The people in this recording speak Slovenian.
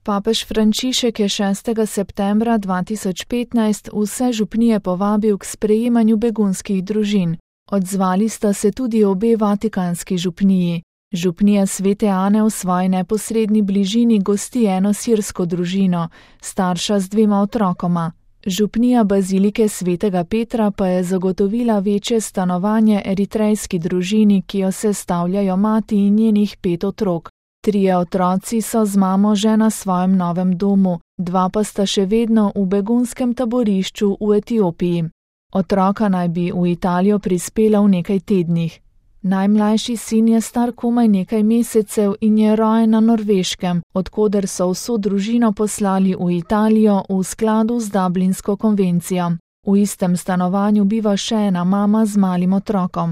Papež Frančišek je 6. septembra 2015 vse župnije povabil k sprejemanju begunskih družin. Odzvali sta se tudi obe vatikanski župniji. Župnija Svete Ane v svoji neposredni bližini gosti eno sirsko družino, starša z 2 otrokoma. Župnija Bazilike Svetega Petra pa je zagotovila večje stanovanje eritrejski družini, ki jo sestavljajo mati in njenih 5 otrok. 3 otroci so z mamo že na svojem novem domu, 2 pa sta še vedno v begunskem taborišču v Etiopiji. Otroka naj bi v Italijo prispela v nekaj tednih. Najmlajši sin je star komaj nekaj mesecev in je rojen na Norveškem, od koder so vso družino poslali v Italijo v skladu z Dublinsko konvencijo. V istem stanovanju biva še ena mama z malim otrokom.